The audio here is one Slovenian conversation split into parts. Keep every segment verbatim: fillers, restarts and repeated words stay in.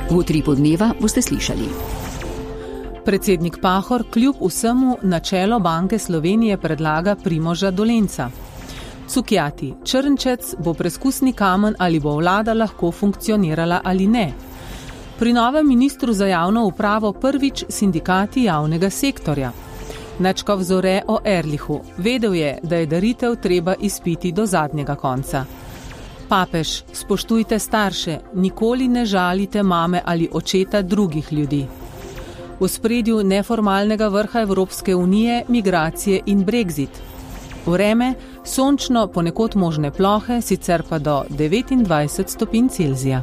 V utripu dneva boste slišali. Predsednik Pahor kljub vsemu na čelo Banke Slovenije predlaga Primoža Dolenca. Cukjati, Črnčec bo preskusni kamen, ali bo vlada lahko funkcionirala ali ne. Pri novem ministru za javno upravo prvič sindikati javnega sektorja. Načkov Zore o Erlichu. Vedel je, da je daritev treba izpiti do zadnjega konca. Papež, spoštujte starše, nikoli ne žalite mame ali očeta drugih ljudi. V ospredju neformalnega vrha Evropske unije, migracije in Brexit. Vreme, sončno, ponekod možne plohe, sicer pa do devetindvajset stopinj Celzija.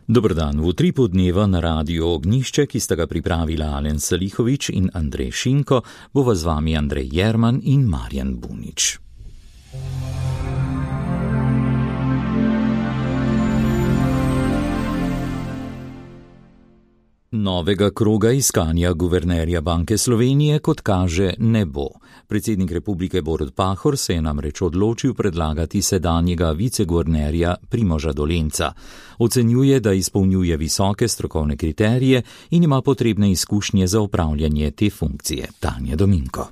Dober dan, v utripu dneva na Radiu Ognjišče, ki sta ga pripravila Alen Salihovič in Andrej Šinko, bova z vami Andrej Jerman in Marjan Bunič. Novega kroga iskanja guvernerja Banke Slovenije, kot kaže, ne bo. Predsednik republike Borut Pahor se je namreč odločil predlagati sedanjega viceguvernerja Primoža Dolenca. Ocenjuje, da izpolnjuje visoke strokovne kriterije in ima potrebne izkušnje za upravljanje te funkcije. Tanja Dominko.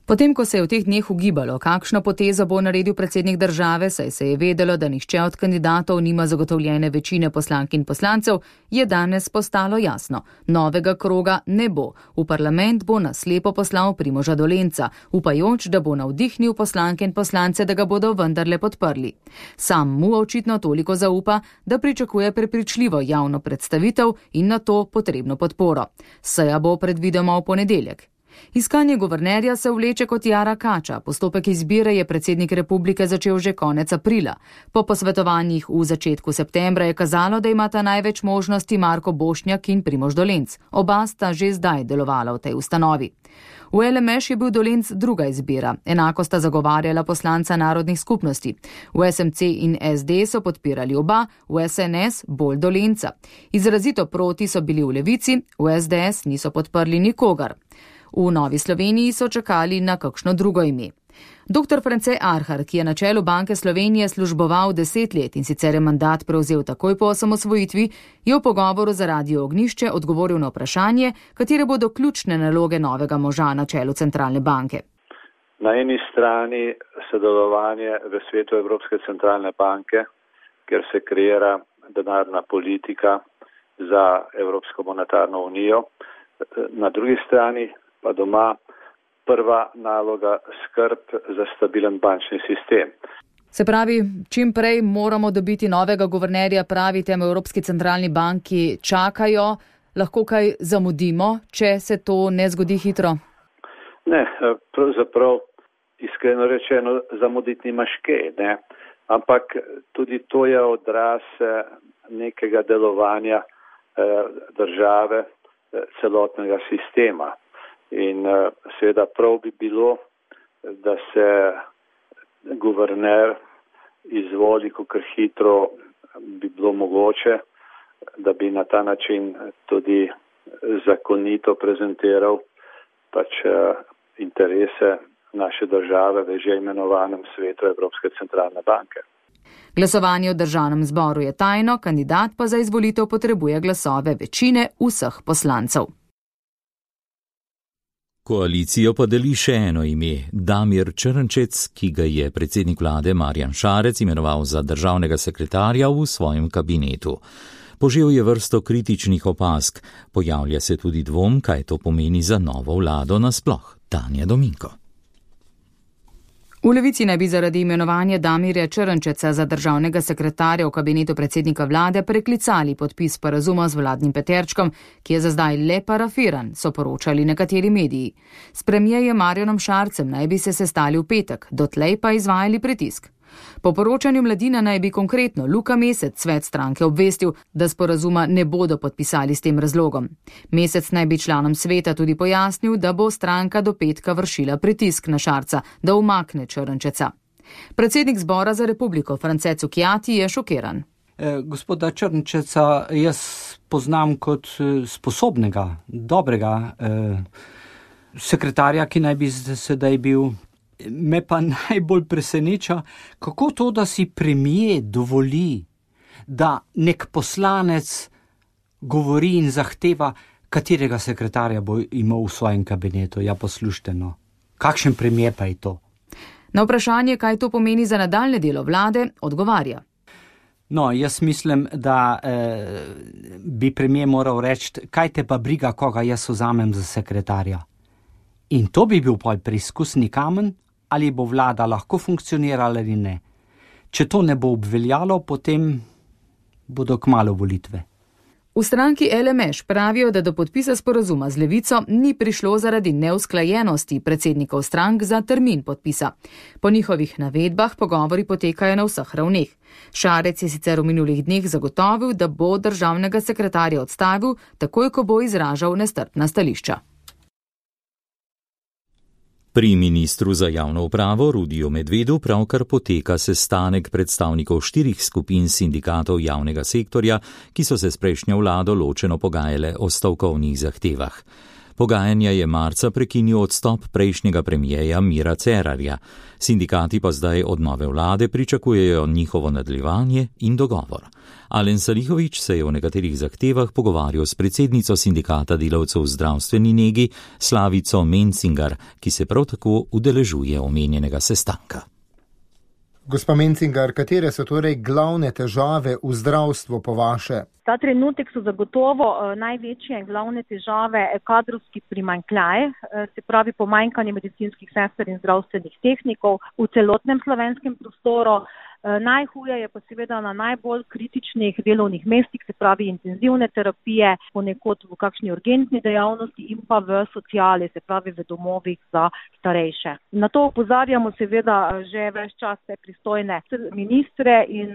Potem, ko se je v teh dneh ugibalo, kakšno potezo bo naredil predsednik države, saj se je vedelo, da nihče od kandidatov nima zagotovljene večine poslank in poslancev, je danes postalo jasno. Novega kroga ne bo. V parlament bo na slepo poslal Primoža Dolenca, upajoč, da bo navdihnil poslanke in poslance, da ga bodo vendarle podprli. Sam mu očitno toliko zaupa, da pričakuje prepričljivo javno predstavitev in na to potrebno podporo. Seja bo predvidoma v ponedeljek. Iskanje guvernerja se vleče kot jara kača. Postopek izbire je predsednik republike začel že konec aprila. Po posvetovanjih v začetku septembra je kazalo, da imata največ možnosti Marko Bošnjak in Primož Dolenc. Oba sta že zdaj delovala v tej ustanovi. V L M Š je bil Dolenc druga izbira. Enako sta zagovarjala poslanca narodnih skupnosti. V S M C in S D so podpirali oba, v S N S bolj Dolenca. Izrazito proti so bili v Levici, v S D S niso podprli nikogar. V Novi Sloveniji so čakali na kakšno drugo ime. Doktor France Arhar, ki je na čelu Banke Slovenije služboval deset let in sicer je mandat prevzel takoj po osamosvojitvi, je v pogovoru za Radio Ognjišče odgovoril na vprašanje, katere bodo ključne naloge novega moža na čelu centralne banke. Na eni strani sodelovanje v svetu Evropske centralne banke, kjer se kreira denarna politika za Evropsko monetarno unijo. Na drugi strani pa doma prva naloga skrb za stabilen bančni sistem. Se pravi, čim prej moramo dobiti novega guvernerja, pravite, v Evropski centralni banki čakajo, lahko kaj zamudimo, če se to ne zgodi hitro? Ne, pravzaprav iskreno rečeno zamuditi nimaš kaj, ne? Ampak tudi to je odraz nekega delovanja države, celotnega sistema. In seveda prav bi bilo, da se guverner izvoli, kakor hitro bi bilo mogoče, da bi na ta način tudi zakonito prezentiral pač interese naše države v že imenovanem svetu Evropske centralne banke. Glasovanje v državnem zboru je tajno, kandidat pa za izvolitev potrebuje glasove večine vseh poslancev. Koalicijo pa deli še eno ime, Damir Črnčec, ki ga je predsednik vlade Marjan Šarec imenoval za državnega sekretarja v svojem kabinetu. Požel je vrsto kritičnih opazk, pojavlja se tudi dvom, kaj to pomeni za novo vlado nasploh. Tanja Dominko. V Levici naj bi zaradi imenovanja Damirja Črnčeca za državnega sekretarja v kabinetu predsednika vlade preklicali podpis sporazuma z vladnim peterčkom, ki je za zdaj le parafiran, so poročali nekateri mediji. S premierjem Marjanom Šarcem naj bi se sestali v petek, dotlej pa izvajali pritisk. Po poročanju Mladina naj bi konkretno Luka Mesec, svet stranke, obvestil, da sporazuma ne bodo podpisali s tem razlogom. Mesec naj bi članom sveta tudi pojasnil, da bo stranka do petka vršila pritisk na Šarca, da umakne Črnčeca. Predsednik zbora za republiko France Cukjati je šokiran. Eh, gospoda Črnčeca jaz poznam kot sposobnega, dobrega eh, sekretarja, ki naj bi sedaj bil. Me pa najbolj preseneča, kako to, da si premier dovoli, da nek poslanec govori in zahteva, katerega sekretarja bo imel v svojem kabinetu. Ja, poslušajte, no. Kakšen primer pa je to? Na vprašanje, kaj to pomeni za nadaljne delo vlade, odgovarja. No, jaz mislim, da eh, bi premijer moral reči, kaj te pa briga, koga jaz vzamem za sekretarja. In to bi bil pol preizkusni kamen, ali bo vlada lahko funkcionirala ali ne. Če to ne bo obveljalo, potem bodo kmalu volitve. V stranki L M Š pravijo, da do podpisa sporazuma z Levico ni prišlo zaradi neusklajenosti predsednikov strank za termin podpisa. Po njihovih navedbah pogovori potekajo na vseh ravneh. Šarec je sicer v minulih dneh zagotovil, da bo državnega sekretarja odstavil, takoj ko bo izražal nestrpna stališča. Pri ministru za javno upravo Rudiju Medvedu pravkar poteka sestanek predstavnikov štirih skupin sindikatov javnega sektorja, ki so se s prejšnjo vlado ločeno pogajale o stavkovnih zahtevah. Pogajanja je marca prekinil odstop prejšnjega premijeja Mira Cerarja. Sindikati pa zdaj od nove vlade pričakujejo njihovo nadaljevanje in dogovor. Alen Salihović se je o nekaterih zahtevah pogovarjal s predsednico sindikata delavcev v zdravstveni negi Slavico Mencingar, ki se prav tako udeležuje omenjenega sestanka. Gospa Mencingar, katere so torej glavne težave v zdravstvu po vaše? Ta trenutek so zagotovo največje glavne težave kadrovski primanjkljaj, se pravi pomanjkanje medicinskih sester in zdravstvenih tehnikov v celotnem slovenskem prostoru. Najhuje je pa seveda na najbolj kritičnih delovnih mestih, se pravi intenzivne terapije, ponekod v kakšni urgentni dejavnosti in pa v sociali, se pravi v domovih za starejše. Na to opozarjamo seveda že več čas pristojne ministre in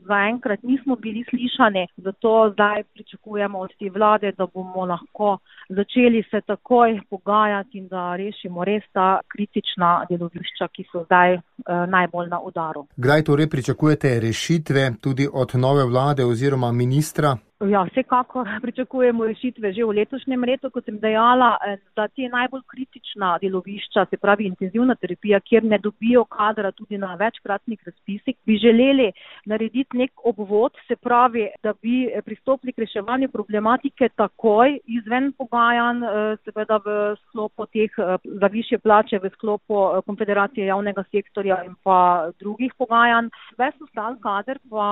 zaenkrat nismo bili slišani, zato zdaj pričakujemo od te vlade, da bomo lahko začeli se takoj pogajati in da rešimo res ta kritična delovišča, ki so zdaj eh, najbolj na udaru. Kdaj torej pričakujete rešitve tudi od nove vlade oziroma ministra? Ja, vsekakor pričakujemo rešitve že v letošnjem letu, kot sem dejala, da te najbolj kritična delovišča, se pravi intenzivna terapija, kjer ne dobijo kadra tudi na večkratnih razpisih, bi želeli narediti nek obvod, se pravi, da bi pristopili k reševanju problematike takoj izven pogajanj, seveda v sklopu teh za višje plače, v sklopu Konfederacije javnega sektorja in pa drugih pogajanj. Ves ostal kader pa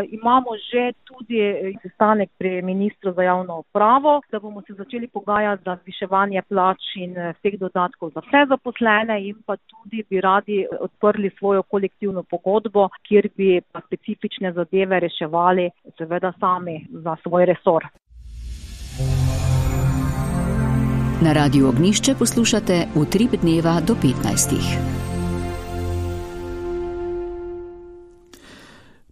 imamo že tudi sestanek pri ministru za javno upravo, da bomo se začeli pogajati za zviševanje plač in vseh dodatkov za vse zaposlene in pa tudi bi radi odprli svojo kolektivno pogodbo, kjer bi pa specifične zadeve reševali seveda sami za svoj resor. Na Radiu Ognjišče poslušate Utrip dneva do petnajstih.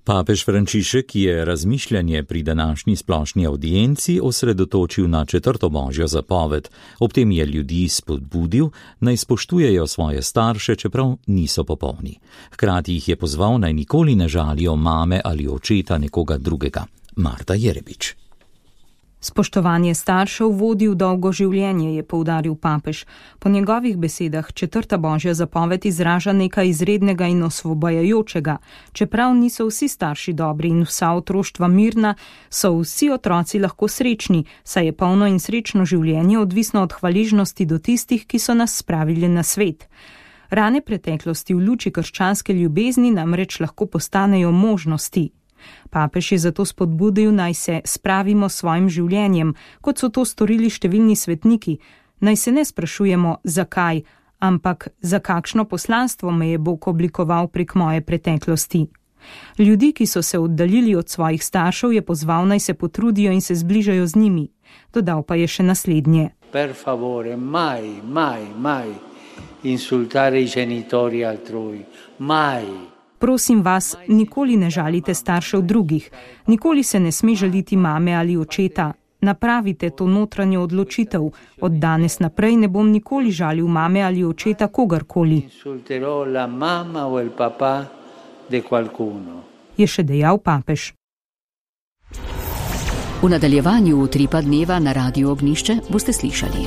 Papež Frančišek je razmišljanje pri današnji splošni audienci osredotočil na četrto božjo zapoved. Ob tem je ljudi spodbudil, naj spoštujejo svoje starše, čeprav niso popolni. Hkrati jih je pozval, naj nikoli ne žalijo mame ali očeta nekoga drugega. Marta Jerebič. Spoštovanje staršev vodi v dolgo življenje, je poudaril papež. Po njegovih besedah četrta božja zapoved izraža nekaj izrednega in osvobajajočega. Čeprav niso vsi starši dobri in vsa otroštva mirna, so vsi otroci lahko srečni, saj je polno in srečno življenje odvisno od hvaležnosti do tistih, ki so nas spravili na svet. Rane preteklosti v luči krščanske ljubezni namreč lahko postanejo možnosti. Papež je zato spodbudil, naj se spravimo s svojim življenjem, kot so to storili številni svetniki. Naj se ne sprašujemo, zakaj, ampak za kakšno poslanstvo me je Bog oblikoval prek moje preteklosti. Ljudi, ki so se oddaljili od svojih staršev, je pozval, naj se potrudijo in se zbližajo z njimi. Dodal pa je še naslednje. Per favore, mai, mai, mai insultare i genitori altrui, mai. Prosim vas, nikoli ne žalite staršev drugih, nikoli se ne sme žaliti mame ali očeta. Napravite to notranjo odločitev. Od danes naprej ne bom nikoli žalil mame ali očeta kogarkoli. Je še dejal papež. V nadaljevanju Utripa dneva na Radiu Ognjišče boste slišali.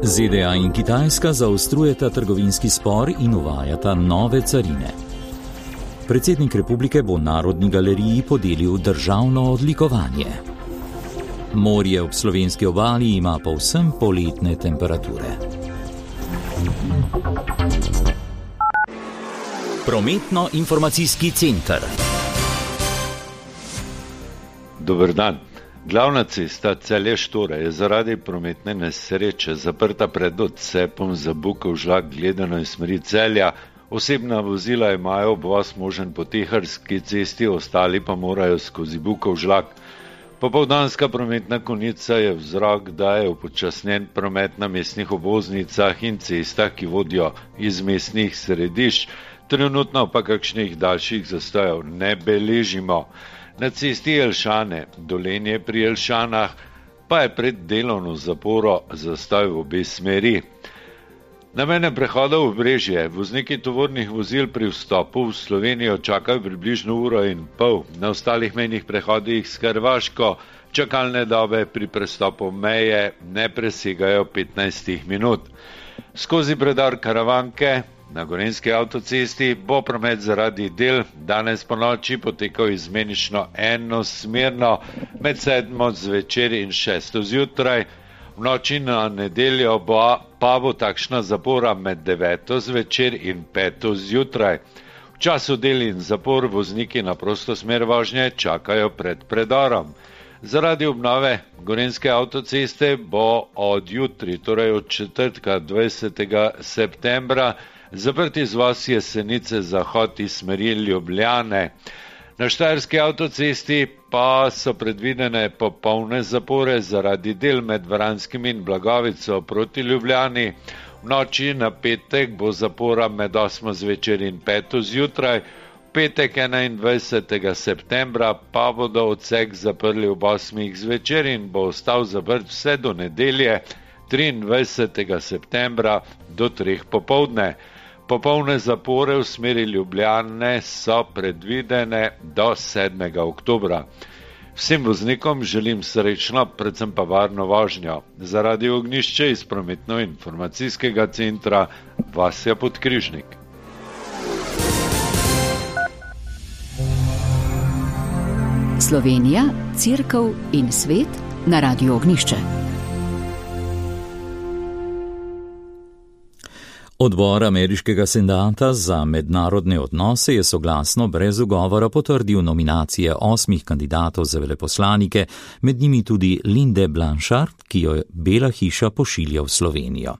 Z D A in Kitajska zaostrujeta trgovinski spor in uvajata nove carine. Predsednik republike bo Narodni galeriji podelil državno odlikovanje. Morje ob slovenski obali ima povsem poletne temperature. Prometno-informacijski center. Dober dan. Glavna cesta Celje-Štore je zaradi prometne nesreče zaprta pred odcepom za Bukovžlak gledano iz smeri Celja. Osebna vozila imajo obvoz možen po Teharski cesti, ostali pa morajo skozi Bukovžlak. Popoldanska prometna konica je vzrok, da je upočasnjen promet na mestnih obvoznicah in cestah, ki vodijo iz mestnih središč. Trenutno pa kakšnih daljših zastojev ne beležimo. Na cesti Jelšane, Dolenje pri Jelšanah, pa je pred delovno zaporo zastoj v obe smeri. Na mejnem prehodu v Brežje vozniki tovornih vozil pri vstopu v Slovenijo čakajo približno uro in pol. Na ostalih mejnih prehodih s Hrvaško čakalne dobe pri prestopu meje ne presegajo petnajst minut. Skozi predor Karavanke na Gorenjski avtocesti bo promet zaradi del danes po noči potekal izmenično enosmerno med sedmo zvečer in šesto zjutraj. V noči na nedeljo bo, pa bo takšna zapora med deveto zvečer in peto zjutraj. V času del in zapor vozniki na prosto smer vožnje čakajo pred predorom. Zaradi obnove Gorenjske avtoceste bo od jutri, torej od četrtka dvajsetega septembra, zaprt izvoz Jesenice zahod iz smeri Ljubljane. Na Štajerski avtocesti pa so predvidene popolne zapore zaradi del med Vranskim in Blagovico proti Ljubljani. V noči na petek bo zapora med osmo zvečer in peto zjutraj. V petek enaindvajsetega septembra pa bodo odsek zaprli ob osmih zvečer in bo ostal zaprt vse do nedelje triindvajsetega septembra do treh popoldne. Popolne zapore v smeri Ljubljane so predvidene do sedmega oktobra. Vsem voznikom želim srečno, predvsem pa varno vožnjo. Zaradi Ognjišče iz prometno-informacijskega centra Vasja Podkrižnik. Slovenija, Cerkev in svet na Radiu Ognjišče. Odbor ameriškega senata za mednarodne odnose je soglasno brez ugovora potrdil nominacije osmih kandidatov za veleposlanike, med njimi tudi Linde Blanchard, ki jo Bela hiša pošilja v Slovenijo.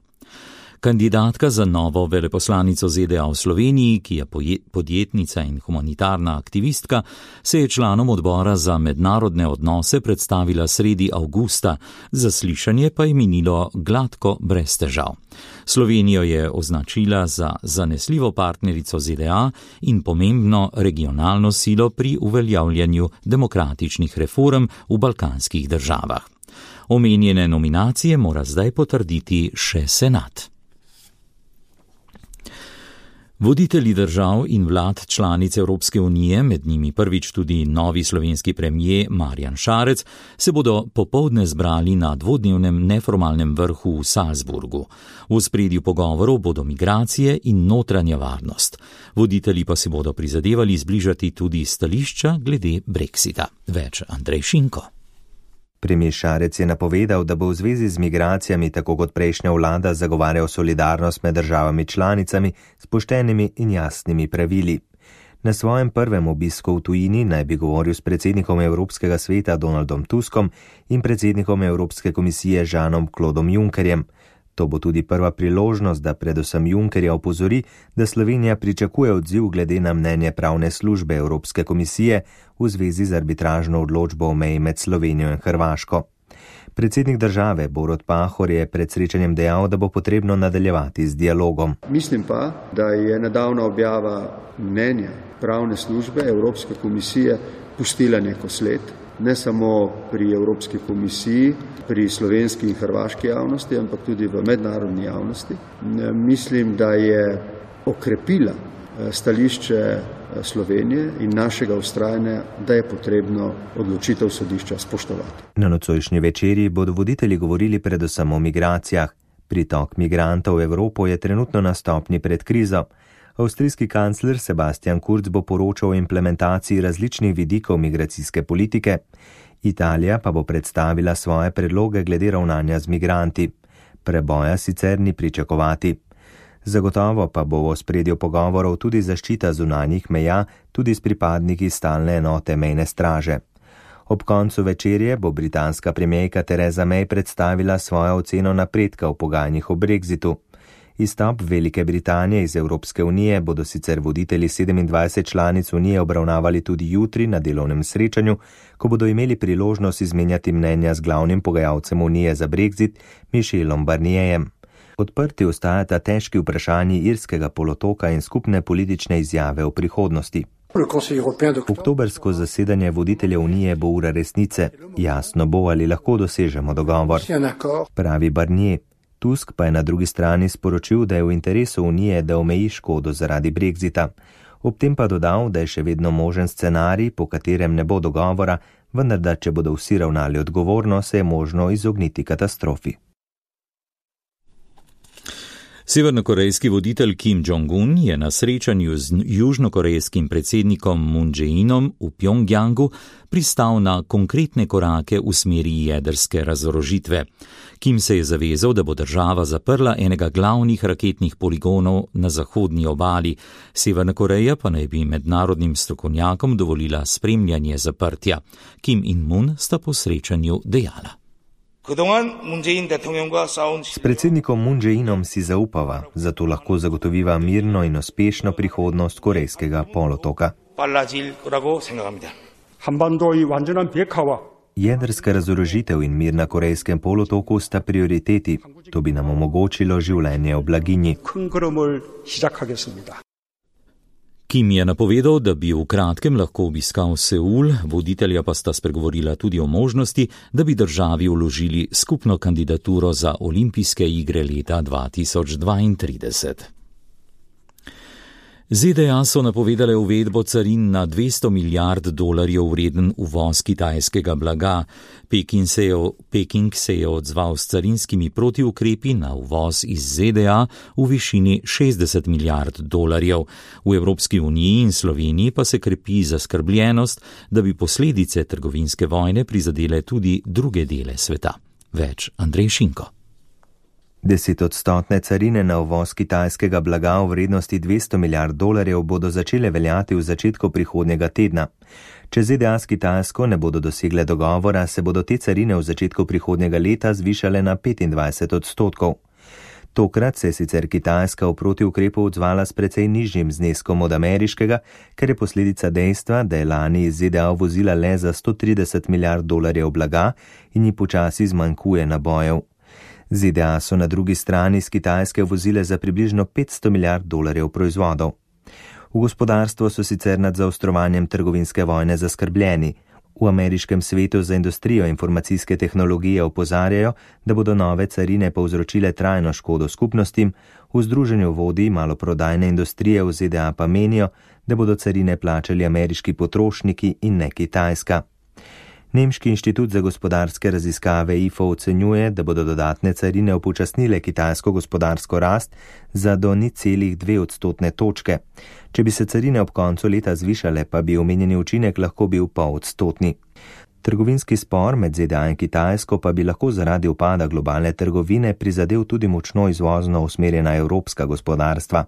Kandidatka za novo veleposlanico Z D A v Sloveniji, ki je podjetnica in humanitarna aktivistka, se je članom odbora za mednarodne odnose predstavila sredi avgusta, zaslišanje pa je minilo gladko brez težav. Slovenijo je označila za zanesljivo partnerico Z D A in pomembno regionalno silo pri uveljavljanju demokratičnih reform v balkanskih državah. Omenjene nominacije mora zdaj potrditi še senat. Voditelji držav in vlad članic Evropske unije, med njimi prvič tudi novi slovenski premijer Marjan Šarec, se bodo popoldne zbrali na dvodnevnem neformalnem vrhu v Salzburgu. V ospredju pogovorov bodo migracije in notranja varnost. Voditelji pa se bodo prizadevali zbližati tudi stališča glede Brexita. Več Andrej Šinko. Premijer Šarec je napovedal, da bo v zvezi z migracijami tako kot prejšnja vlada zagovarjal solidarnost med državami članicami s poštenimi in jasnimi pravili. Na svojem prvem obisku v tujini naj bi govoril s predsednikom Evropskega sveta Donaldom Tuskom in predsednikom Evropske komisije Žanom Klodom Junckerjem. To bo tudi prva priložnost, da predvsem Junckerja opozori, da Slovenija pričakuje odziv glede na mnenje pravne službe Evropske komisije v zvezi z arbitražno odločbo o meji med Slovenijo in Hrvaško. Predsednik države Borut Pahor je pred srečanjem dejal, da bo potrebno nadaljevati z dialogom. Mislim pa, da je nedavna objava mnenja pravne službe Evropske komisije pustila neko sled, ne samo pri Evropski komisiji, pri slovenski in hrvaški javnosti, ampak tudi v mednarodni javnosti. Mislim, da je okrepila stališče Slovenije in našega vztrajanja, da je potrebno odločitev sodišča spoštovati. Na nocojšnji večerji bodo voditelji govorili predvsem o migracijah. Pritok migrantov v Evropo je trenutno na stopnji pred krizo. Avstrijski kancler Sebastian Kurz bo poročal o implementaciji različnih vidikov migracijske politike. Italija pa bo predstavila svoje predloge glede ravnanja z migranti. Preboja sicer ni pričakovati. Zagotovo pa bo v ospredju pogovorov tudi zaščita zunanjih meja, tudi s pripadniki stalne enote mejne straže. Ob koncu večerje bo britanska premijerka Theresa May predstavila svojo oceno napredka v pogajanjih o brexitu. Izstop Velike Britanije iz Evropske unije bodo sicer voditelji sedemindvajset članic unije obravnavali tudi jutri na delovnem srečanju, ko bodo imeli priložnost izmenjati mnenja z glavnim pogajalcem unije za brexit, Michelom Barnierjem. Odprti ostajata težki vprašanji irskega polotoka in skupne politične izjave o prihodnosti. Oktobrsko zasedanje voditelja unije bo ura resnice. Jasno bo, ali lahko dosežemo dogovor, pravi Barnier. Tusk pa je na drugi strani sporočil, da je v interesu unije, da omeji škodo zaradi brexita. Ob tem pa dodal, da je še vedno možen scenarij, po katerem ne bo dogovora, vendar da če bodo vsi ravnali odgovorno, se je možno izogniti katastrofi. Severnokorejski voditelj Kim Jong-un je na srečanju z južnokorejskim predsednikom Moon Jae-inom v Pjongjangu pristal na konkretne korake v smeri jedrske razorožitve. Kim se je zavezal, da bo država zaprla enega glavnih raketnih poligonov na zahodni obali. Severna Koreja pa naj bi mednarodnim strokovnjakom dovolila spremljanje zaprtja. Kim in Moon sta po srečanju dejala: S predsednikom Moon Jae-inom si zaupava, zato lahko zagotoviva mirno in uspešno prihodnost korejskega polotoka. Jedrska razorožitev in mir na korejskem polotoku sta prioriteti. To bi nam omogočilo življenje v blaginji. Kim je napovedal, da bi v kratkem lahko obiskal Seul, voditelja pa sta spregovorila tudi o možnosti, da bi državi vložili skupno kandidaturo za olimpijske igre leta dva tisoč dvaintrideset. Z D A so napovedale uvedbo carin na dvesto milijard dolarjev vreden uvoz kitajskega blaga. Peking se je, Peking se je odzval s carinskimi protiukrepi na uvoz iz Z D A v višini šestdeset milijard dolarjev. V Evropski uniji in Sloveniji pa se krepi zaskrbljenost, da bi posledice trgovinske vojne prizadele tudi druge dele sveta. Več Andrej Šinko. Desetodstotne carine na uvoz kitajskega blaga v vrednosti dvesto milijard dolarjev bodo začele veljati v začetku prihodnjega tedna. Če Z D A s Kitajsko ne bodo dosegle dogovora, se bodo te carine v začetku prihodnjega leta zvišale na petindvajset odstotkov. Tokrat se je sicer Kitajska v protiukrepu odzvala s precej nižjim zneskom od ameriškega, ker je posledica dejstva, da je lani iz Z D A uvozila le za sto trideset milijard dolarjev blaga in ji počasi zmanjkuje nabojev. Z D A so na drugi strani z Kitajske uvozile za približno petsto milijard dolarjev proizvodov. V gospodarstvu so sicer nad zaostrovanjem trgovinske vojne zaskrbljeni. V ameriškem svetu za industrijo informacijske tehnologije opozarjajo, da bodo nove carine povzročile trajno škodo skupnostim, v združenju vodij maloprodajne industrije v Z D A pa menijo, da bodo carine plačali ameriški potrošniki in ne Kitajska. Nemški inštitut za gospodarske raziskave I F O ocenjuje, da bodo dodatne carine upočasnile kitajsko gospodarsko rast za do nič celih dve odstotne točke. Če bi se carine ob koncu leta zvišale, pa bi omenjeni učinek lahko bil pol odstotni. Trgovinski spor med Z D A in Kitajsko pa bi lahko zaradi upada globalne trgovine prizadel tudi močno izvozno usmerjena evropska gospodarstva.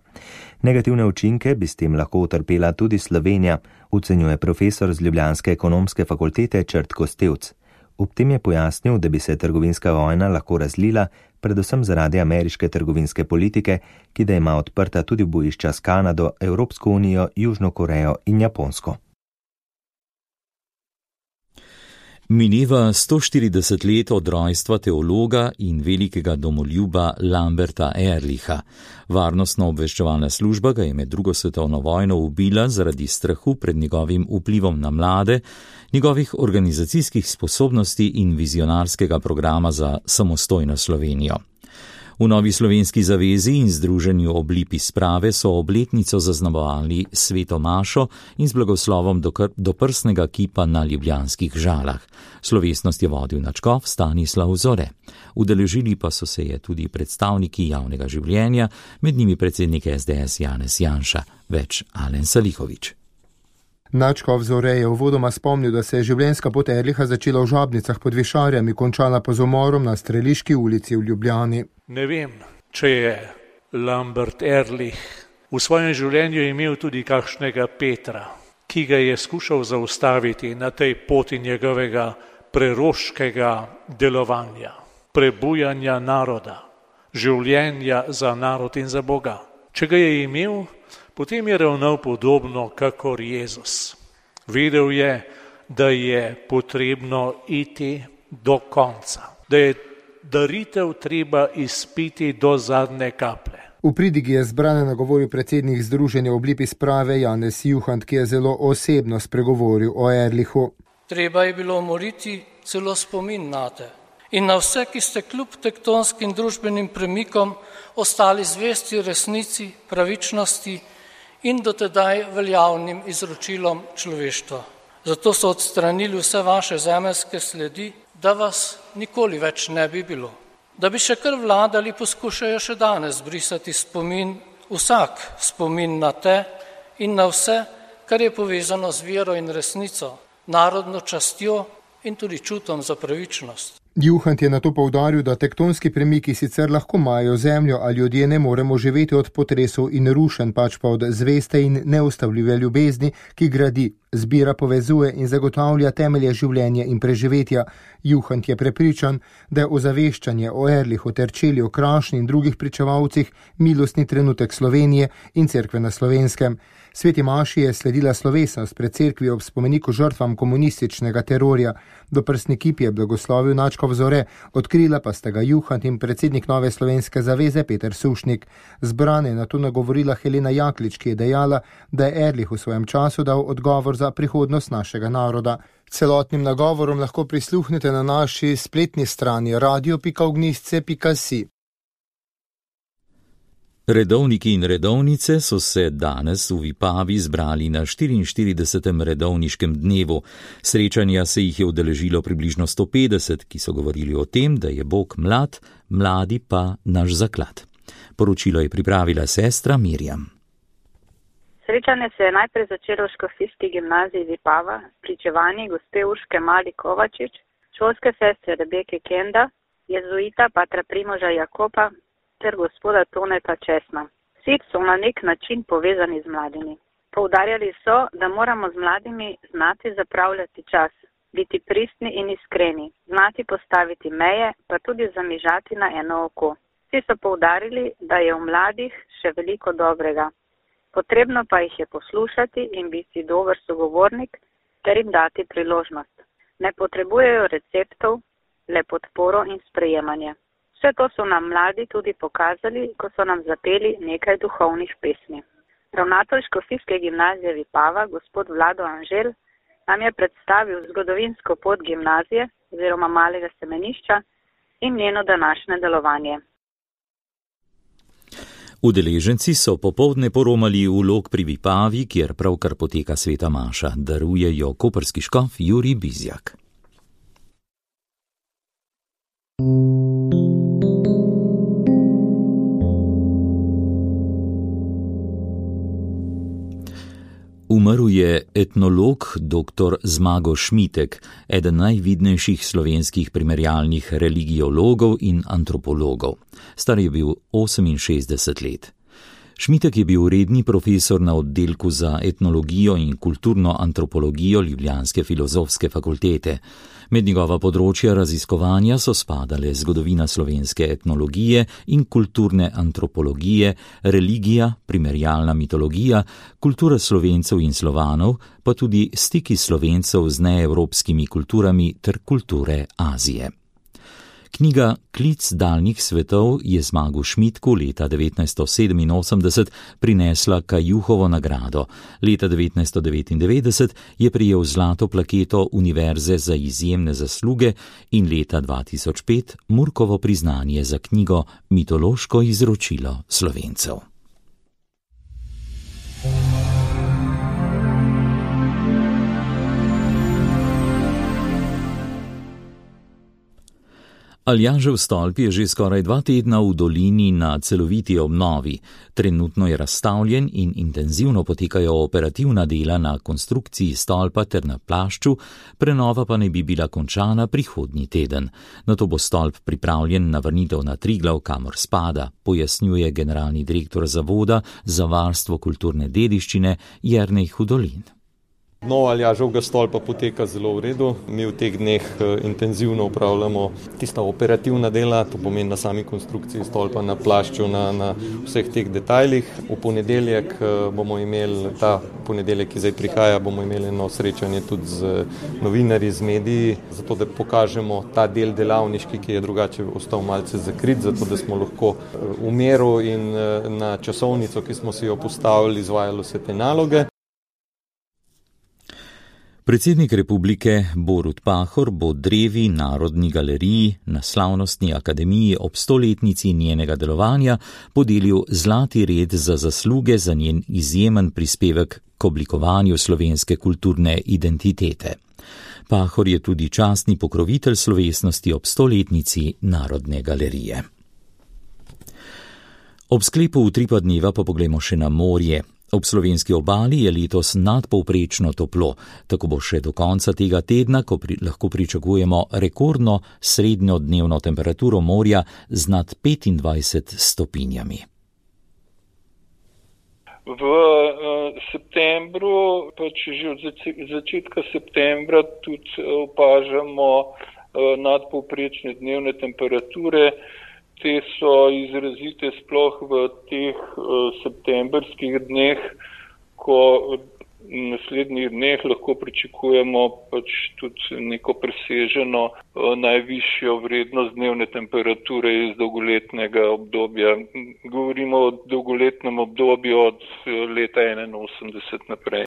Negativne učinke bi s tem lahko utrpela tudi Slovenija, ocenjuje profesor z ljubljanske ekonomske fakultete Črt Kostevc. Ob tem je pojasnil, da bi se trgovinska vojna lahko razlila, predvsem zaradi ameriške trgovinske politike, ki da ima odprta tudi bojišča s Kanado, Evropsko unijo, Južno Korejo in Japonsko. Mineva sto štirideset let od rojstva teologa in velikega domoljuba Lamberta Ehrlicha. Varnostno-obveščevalna služba ga je med drugo svetovno vojno ubila zaradi strahu pred njegovim vplivom na mlade, njegovih organizacijskih sposobnosti in vizionarskega programa za samostojno Slovenijo. V Novi slovenski zavezi in Združenju Oblipi sprave so obletnico zaznamovali sveto mašo in z blagoslovom do, do prsnega kipa na ljubljanskih Žalah. Slovesnost je vodil nadškof Stanislav Zore. Udeležili pa so se je tudi predstavniki javnega življenja, med njimi predsednik es de es Janez Janša, več Alen Salihovič. Nadškof Zore je uvodoma spomnil, da se je življenjska pot Erliha začela v Žabnicah pod Višarjami, končala pa z umorom na Streliški ulici v Ljubljani. Ne vem, če je Lambert Erlich v svojem življenju imel tudi kakšnega Petra, ki ga je skušal zaustaviti na tej poti njegovega preroškega delovanja, prebujanja naroda, življenja za narod in za Boga. Če ga je imel, potem je ravnal podobno kakor Jezus. Vedel je, da je potrebno iti do konca, da je daritev treba izpiti do zadnje kaplje. V pridigi je zbrane nagovoril predsednik Združenja Oblipi sprave Janez Juhant, ki je zelo osebno spregovoril o Erlichu. Treba je bilo umoriti celo spomin nate in na vse, ki ste kljub tektonskim družbenim premikom ostali zvesti resnici, pravičnosti in dotedaj veljavnim izročilom človeštva. Zato so odstranili vse vaše zemeljske sledi, da vas nikoli več ne bi bilo. Da bi še kar vladali, poskušajo še danes brisati spomin, vsak spomin na te in na vse, kar je povezano z vero in resnico, narodno častjo in tudi čutom za pravičnost. Juhant je nato poudaril, da tektonski premiki sicer lahko majajo zemljo, a ljudje ne moremo živeti od potresov in rušenj, pač pa od zveste in neustavljive ljubezni, ki gradi, zbira, povezuje in zagotavlja temelje življenja in preživetja. Juhant je prepričan, da je ozaveščanje o Erlichu ter Čeliju Krašni in drugih pričevalcih milostni trenutek Slovenije in cerkve na Slovenskem. Sveti maši je sledila slovesnost pred cerkvi ob spomeniku žrtvam komunističnega terorja. Doprsni kip je blagoslovil nadškof Zore, odkrila pa sta ga Juhant in predsednik Nove slovenske zaveze Peter Sušnik. Zbrane je nato nagovorila Helena Jaklič, ki je dejala, da je Erlich v svojem času dal odgovor za prihodnost našega naroda. Celotnim nagovorom lahko prisluhnete na naši spletni strani radio pika ognjišče pika si. Redovniki in redovnice so se danes v Vipavi zbrali na štiriinštiridesetem redovniškem dnevu. Srečanja se jih je udeležilo približno sto petdeset, ki so govorili o tem, da je Bog mlad, mladi pa naš zaklad. Poročilo je pripravila sestra Mirjam. Srečanje se je najprej začelo v škofijski gimnaziji Vipava s pričevanji gospe Urške Mali Kovačič, šolske sestre Rebeke Kenda, jezuita patra Primoža Jakopa ter gospoda Toneta Česna. Vsi so na nek način povezani z mladimi. Poudarjali so, da moramo z mladimi znati zapravljati čas, biti pristni in iskreni, znati postaviti meje, pa tudi zamižati na eno oko. Vsi so poudarili, da je v mladih še veliko dobrega. Potrebno pa jih je poslušati in biti dober sogovornik ter jim dati priložnost. Ne potrebujejo receptov, le podporo in sprejemanje. Vse to so nam mladi tudi pokazali, ko so nam zapeli nekaj duhovnih pesmi. Ravnatelj škofijske gimnazije Vipava, gospod Vlado Anžel, nam je predstavil zgodovinsko pot gimnazije oziroma malega semenišča in njeno današnje delovanje. Udeleženci so popoldne poromali v Log pri Vipavi, kjer pravkar poteka sveta maša, daruje jo koprski škof Jurij Bizjak. Umrl je etnolog dr. Zmago Šmitek, eden najvidnejših slovenskih primerjalnih religiologov in antropologov. Star je bil oseminšestdeset let. Šmitek je bil redni profesor na oddelku za etnologijo in kulturno antropologijo Ljubljanske filozofske fakultete. Med njegova področja raziskovanja so spadale zgodovina slovenske etnologije in kulturne antropologije, religija, primerjalna mitologija, kultura Slovencev in Slovanov, pa tudi stiki Slovencev z neevropskimi kulturami ter kulture Azije. Knjiga Klic daljnih svetov je Zmagu Šmitku leta devetnajststo sedeminosemdeset prinesla Kajuhovo nagrado. Leta devetnajststo devetindevetdeset je prejel zlato plaketo Univerze za izjemne zasluge in leta dva tisoč pet Murkovo priznanje za knjigo Mitološko izročilo Slovencev. Aljažev stolp je že skoraj dva tedna v dolini na celoviti obnovi. Trenutno je razstavljen in intenzivno potekajo operativna dela na konstrukciji stolpa ter na plašču, prenova pa naj bi bila končana prihodnji teden. Nato bo stolp pripravljen na vrnitev na Triglav, kamor spada, pojasnjuje generalni direktor Zavoda za varstvo kulturne dediščine Jernej Hudolin. Obnova Aljaževega stolpa poteka zelo v redu. Mi v teh dneh intenzivno upravljamo tista operativna dela, to pomeni na sami konstrukciji stolpa, na plašču, na, na vseh teh detajlih. V ponedeljek bomo imeli, ta ponedeljek, ki zdaj prihaja, bomo imeli eno srečanje tudi z novinarji, z mediji, zato da pokažemo ta del delavniški, ki je drugače ostal malce zakrit, zato da smo lahko v miru in na časovnico, ki smo si jo postavili, izvajali vse te naloge. Predsednik republike Borut Pahor bo Drevi Narodni galeriji na Slavnostni akademiji ob stoletnici njenega delovanja podelil zlati red za zasluge za njen izjemen prispevek k oblikovanju slovenske kulturne identitete. Pahor je tudi častni pokrovitelj slovesnosti ob stoletnici Narodne galerije. Ob sklepu utripa dneva pa poglejmo še na morje. Ob slovenski obali je letos nadpovprečno toplo, tako bo še do konca tega tedna, ko pri, lahko pričakujemo rekordno srednjo dnevno temperaturo morja z nad petindvajset stopinjami. V uh, septembru, pač že od začetka septembra tudi opažamo uh, nadpovprečne dnevne temperature. Te so izrazite sploh v teh uh, septembrskih dneh, ko v naslednjih dneh lahko pričakujemo pač tudi neko preseženo uh, najvišjo vrednost dnevne temperature iz dolgoletnega obdobja. Govorimo o dolgoletnem obdobju od leta enainosemdeset naprej.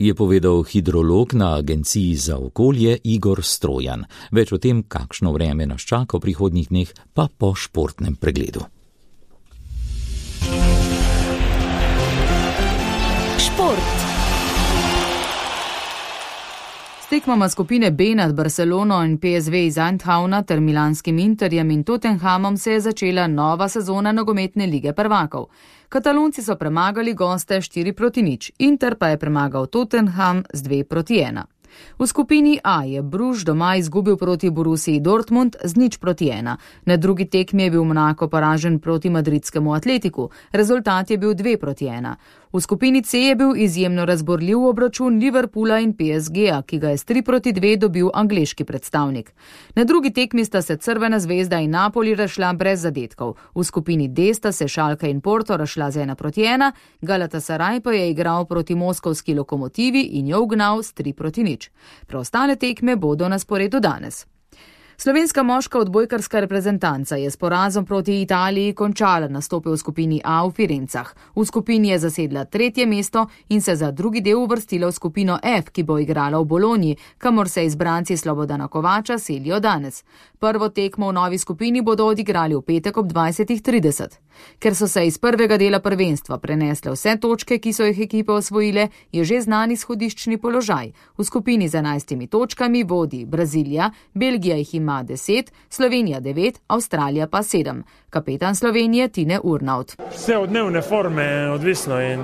Je povedal hidrolog na Agenciji za okolje Igor Strojan. Več o tem, kakšno vreme nas čaka v prihodnjih dneh, pa po športnem pregledu. Šport. S tekmama skupine B nad Barcelono in P S V iz Eindhovna ter milanskim Interjem in Tottenhamom se je začela nova sezona nogometne lige prvakov. Katalonci so premagali goste štiri proti nič, Inter pa je premagal Tottenham z dve proti ena. V skupini A je Bruž doma izgubil proti Borussiji Dortmund z nič proti ena. Na drugi tekmi je bil Monako poražen proti madridskemu Atletiku, rezultat je bil dve proti ena. V skupini C je bil izjemno razborljiv obračun Liverpoola in P S G-a, ki ga je s tri proti dve dobil angleški predstavnik. Na drugi tekmi sta se Crvena zvezda in Napoli razšla brez zadetkov. V skupini D sta se Schalke in Porto razšla z ena proti ena, Galatasaray pa je igral proti moskovski Lokomotivi in jo ugnal s tri proti nič. Preostale tekme bodo na sporedu danes. Slovenska moška odbojkarska reprezentanca je s porazom proti Italiji končala nastope v skupini A v Firencah. V skupini je zasedla tretje mesto in se za drugi del uvrstila v skupino F, ki bo igrala v Bologni, kamor se izbranci Slobodana Kovača selijo danes. Prvo tekmo v novi skupini bodo odigrali v petek ob dvajsetih trideset. Ker so se iz prvega dela prvenstva prenesle vse točke, ki so jih ekipe osvojile, je že znan izhodiščni položaj. V skupini z enajstimi točkami vodi Brazilija, Belgija jih ima deset, Slovenija devet, Avstralija pa sedem. Kapetan Slovenije Tine Urnaut. Vse od dnevne forme je odvisno in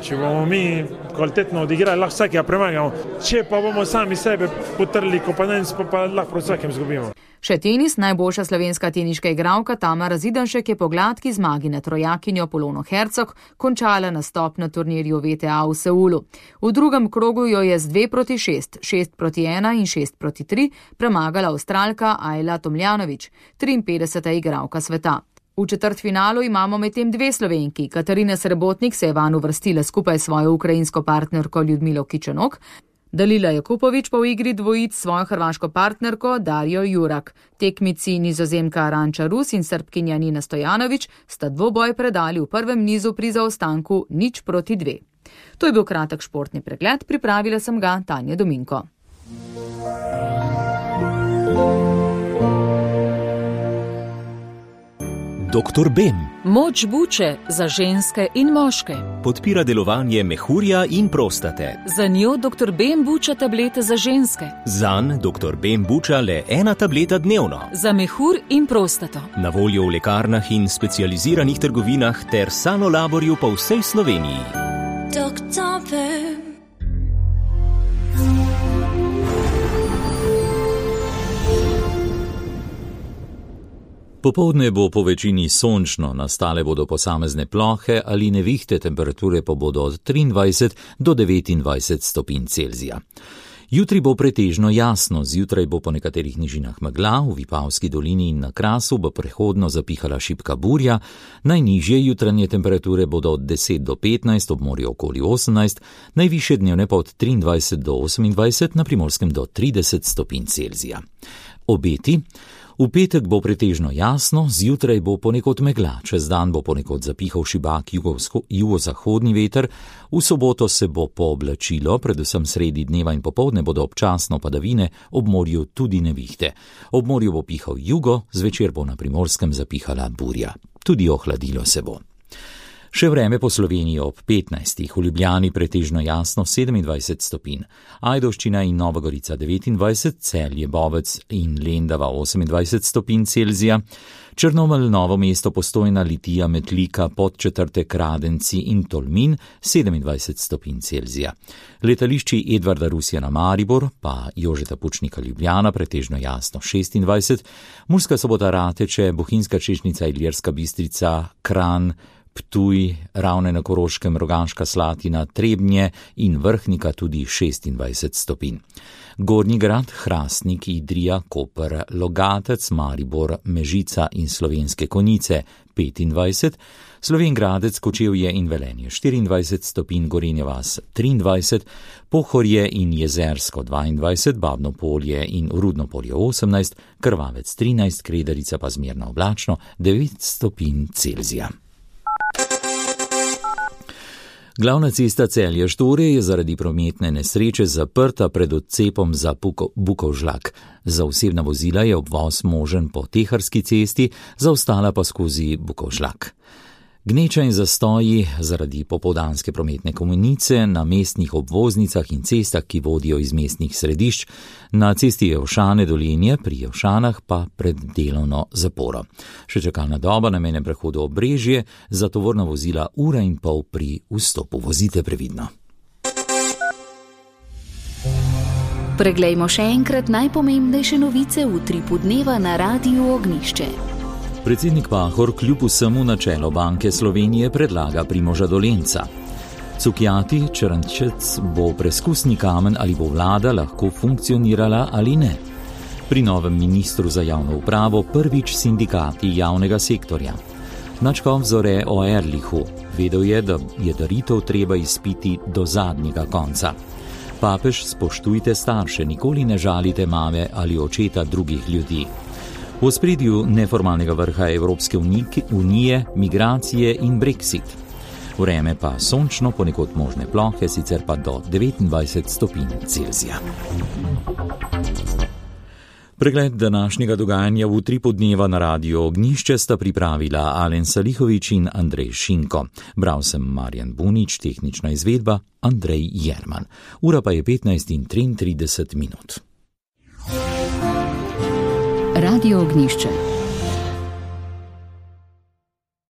če bomo mi kvalitetno odigrali, lahko vsakega premagamo. Če pa bomo sami sebe potrli komponenc, pa, pa lahko proti vsakem zgubimo. Še tenis, najboljša slovenska teniška igralka Tamara Zidanšek je po gladki zmagi nad trojakinjo Polono Hercog končala nastop na turnirju V T A v Seulu. V drugem krogu jo je z dve proti šest, šest proti ena in šest proti tri premagala Avstralka Ajla Tomljanović, triinpetdeseta igralka sveta. V četrtfinalu imamo medtem dve Slovenki. Katarina Srebotnik se je vanj uvrstila skupaj s svojo ukrajinsko partnerko Ljudmilo Kičanok. Dalila Jakupović pa v igri dvojic svojo hrvaško partnerko Darjo Jurak. Tekmici Nizozemka Aranča Rus in Srbkinja Nina Stojanović sta dvoboj predali v prvem nizu pri zaostanku nič proti dve. To je bil kratek športni pregled, pripravila sem ga Tanja Dominko. doktor Bem. Moč buče za ženske in moške. Podpira delovanje mehurja in prostate. Za njo doktor Bem buča tablete za ženske. Zanj doktor Bem buča le ena tableta dnevno. Za mehur in prostato. Na voljo v lekarnah in specializiranih trgovinah ter Sanolaborju po vsej Sloveniji. doktor Bem. Popoldne bo po večini sončno, nastale bodo posamezne plohe ali nevihte, temperature pa bodo od triindvajset do devetindvajset stopinj Celzija. Jutri bo pretežno jasno, zjutraj bo po nekaterih nižinah megla, v Vipavski dolini in na Krasu bo prehodno zapihala šibka burja, najnižje jutranje temperature bodo od deset do petnajst, ob morju okoli osemnajst, najvišje dnevne pa od triindvajset do osemindvajset, na Primorskem do trideset stopinj Celzija. Obeti. V petek bo pretežno jasno, zjutraj bo ponekod megla, čez dan bo ponekod zapihal šibak jugozahodni veter, v soboto se bo pooblačilo, predvsem sredi dneva in popoldne bodo občasno padavine, ob morju tudi nevihte. Ob morju bo pihal jugo, zvečer bo na Primorskem zapihala burja. Tudi ohladilo se bo. Še vreme po Sloveniji ob petnajstih, v Ljubljani pretežno jasno sedemindvajset stopinj, Ajdovščina in Nova Gorica devetindvajset, Celje, Bovec in Lendava osemindvajset stopinj Celzija, Črnomelj, Novo mesto, Postojna, Litija, Metlika, Podčetrtek, Radenci in Tolmin sedemindvajset stopinj Celzija. Letališči Edvarda Rusjana Maribor, pa Jožeta Pučnika Ljubljana pretežno jasno šestindvajset, Murska Sobota Rateče, Bohinjska Češnica, Ilirska Bistrica, Kranj, Ptuj, Ravne na Koroškem, Rogaška Slatina, Trebnje in Vrhnika tudi šestindvajset stopinj. Gornji Grad, Hrastnik, Idrija, Koper, Logatec, Maribor, Mežica in Slovenske Konjice petindvajset, Slovenj Gradec, Kočevje in Velenje štiriindvajset stopinj, Gorenja vas triindvajset, Pohorje in Jezersko dvaindvajset, Babno Polje in Rudno Polje osemnajst, Krvavec trinajst, Kredarica pa zmerno oblačno devet stopinj Celzija. Glavna cesta Celje-Štore je zaradi prometne nesreče zaprta pred odcepom za Bukovžlak. Za osebna vozila je obvoz možen po Teharski cesti, za ostala pa skozi Bukovžlak. Gneča in zastoji zaradi popoldanske prometne komunice na mestnih obvoznicah in cestah, ki vodijo iz mestnih središč, na cesti Jevšane Dolenje, pri Jevšanah pa pred delovno zaporo. Še čakalna doba na mejnem prehodu Obrežje, za tovorna vozila ura in pol pri vstopu. Vozite previdno. Preglejmo še enkrat najpomembnejše novice v utripu dneva na Radiu Ognjišče. Predsednik Pahor kljub vsemu na čelo Banke Slovenije predlaga Primoža Dolenca. Cukjati Črnčec bo preskusni kamen, ali bo vlada lahko funkcionirala ali ne. Pri novem ministru za javno upravo prvič sindikati javnega sektorja. Načkov zore o Erlichu. Vedel je, da je daritev treba izpiti do zadnjega konca. Papež, spoštujte starše, nikoli ne žalite mame ali očeta drugih ljudi. V ospredju neformalnega vrha Evropske unije, migracije in Brexit. Vreme pa sončno, ponekod možne plohe, sicer pa do devetindvajset stopinj Celzija. Pregled današnjega dogajanja v utripu dneva na Radiu Ognjišče sta pripravila Alen Salihovič in Andrej Šinko. Bral sem Marjan Bunič, tehnična izvedba Andrej Jerman. Ura pa je petnajst in triintrideset minut. Radio Ognjišče.